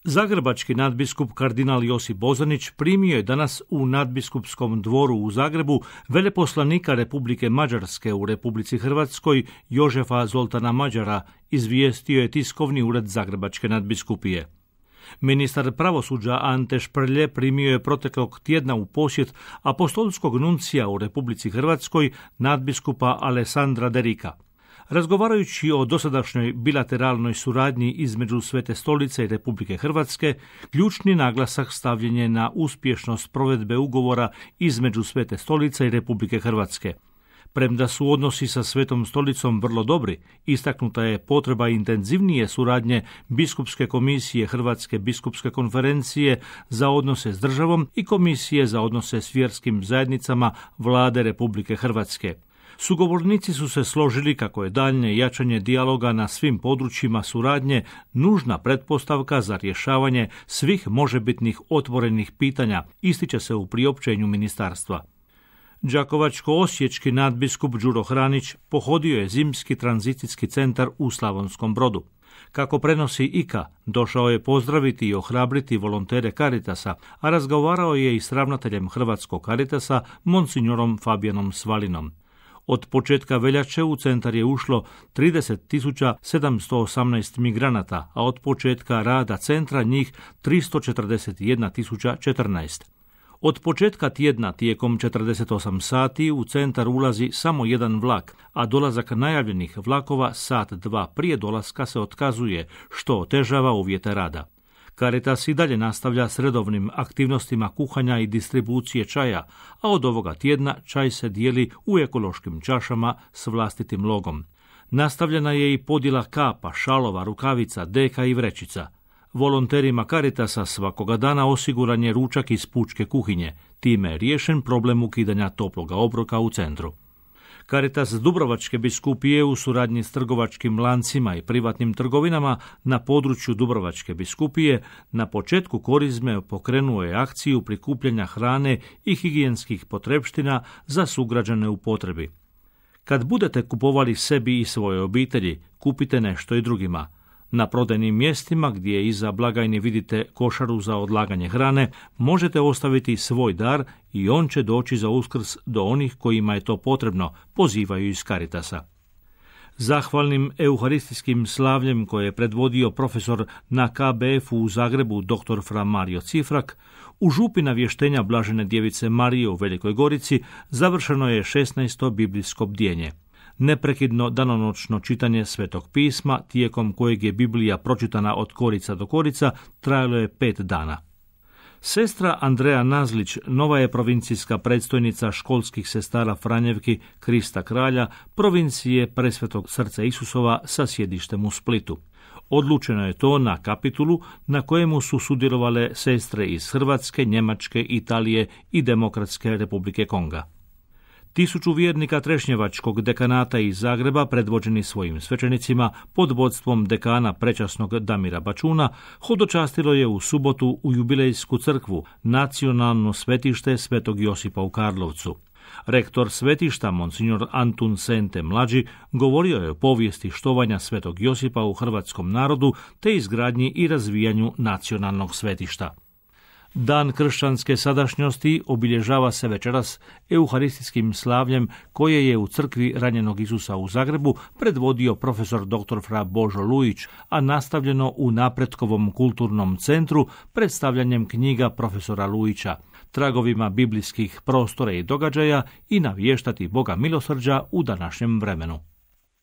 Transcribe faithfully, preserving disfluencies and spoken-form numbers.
Zagrebački nadbiskup kardinal Josip Bozanić primio je danas u nadbiskupskom dvoru u Zagrebu veleposlanika Republike Mađarske u Republici Hrvatskoj Jožefa Zoltana Mađara, izvijestio je tiskovni ured Zagrebačke nadbiskupije. Ministar pravosuđa Ante Šprlje primio je proteklog tjedna u posjet apostolskog nuncija u Republici Hrvatskoj nadbiskupa Alessandra Derika. Razgovarajući o dosadašnjoj bilateralnoj suradnji između Svete stolice i Republike Hrvatske, ključni naglasak stavljen je na uspješnost provedbe ugovora između Svete stolice i Republike Hrvatske. Premda su odnosi sa Svetom stolicom vrlo dobri, istaknuta je potreba intenzivnije suradnje Biskupske komisije Hrvatske biskupske konferencije za odnose s državom i Komisije za odnose s vjerskim zajednicama Vlade Republike Hrvatske. Sugovornici su se složili kako je daljnje jačanje dijaloga na svim područjima suradnje nužna pretpostavka za rješavanje svih možebitnih otvorenih pitanja, ističe se u priopćenju ministarstva. Đakovačko-osječki nadbiskup Đuro Hranić pohodio je zimski tranzicijski centar u Slavonskom Brodu. Kako prenosi I K A, došao je pozdraviti i ohrabriti volontere Caritasa, a razgovarao je i s ravnateljem Hrvatskog Caritasa, monsignorom Fabijanom Svalinom. Od početka veljače u centar je ušlo trideset tisuća sedamsto osamnaest migranata, a od početka rada centra njih tristo četrdeset jedna tisuća četrnaest. Od početka tjedna tijekom četrdeset osam sati u centar ulazi samo jedan vlak, a dolazak najavljenih vlakova sat dva prije dolaska se otkazuje, što otežava uvjete rada. Caritas i dalje nastavlja s redovnim aktivnostima kuhanja i distribucije čaja, a od ovoga tjedna čaj se dijeli u ekološkim čašama s vlastitim logom. Nastavljena je i podjela kapa, šalova, rukavica, deka i vrećica. Volonterima Caritasa svakoga dana osiguran je ručak iz pučke kuhinje, time je riješen problem ukidanja toploga obroka u centru. Caritas Dubrovačke biskupije u suradnji s trgovačkim lancima i privatnim trgovinama na području Dubrovačke biskupije na početku korizme pokrenuo je akciju prikupljanja hrane i higijenskih potrepština za sugrađane u potrebi. Kad budete kupovali sebi i svoje obitelji, kupite nešto i drugima. Na prodajnim mjestima gdje iza blagajne vidite košaru za odlaganje hrane, možete ostaviti svoj dar i on će doći za Uskrs do onih kojima je to potrebno, pozivaju iz Caritasa. Zahvalnim euharistijskim slavljem koje je predvodio profesor na K B F-u u Zagrebu dr. Fra Mario Cifrak, u župi navještenja Blažene djevice Marije u Velikoj Gorici završeno je šesnaesto biblijsko bdjenje. Neprekidno danonoćno čitanje Svetog pisma, tijekom kojeg je Biblija pročitana od korica do korica, trajalo je pet dana. Sestra Andreja Nazlić, nova je provincijska predstojnica školskih sestara Franjevki Krista Kralja, provincije Presvetog srca Isusova sa sjedištem u Splitu. Odlučeno je to na kapitulu na kojemu su sudjelovale sestre iz Hrvatske, Njemačke, Italije i Demokratske Republike Konga. Tisuću vjernika Trešnjevačkog dekanata iz Zagreba, predvođeni svojim svećenicima pod vodstvom dekana prečasnog Damira Bačuna, hodočastilo je u subotu u jubilejsku crkvu, nacionalno svetište Svetog Josipa u Karlovcu. Rektor svetišta, monsignor Antun Sente mlađi, govorio je o povijesti štovanja Svetog Josipa u hrvatskom narodu te izgradnji i razvijanju nacionalnog svetišta. Dan kršćanske sadašnjosti obilježava se večeras euharistijskim slavljem koje je u crkvi ranjenog Isusa u Zagrebu predvodio profesor dr. Fra Božo Lujić, a nastavljeno u Napretkovom kulturnom centru predstavljanjem knjiga profesora Lujića, tragovima biblijskih prostora i događaja i navještati Boga milosrđa u današnjem vremenu.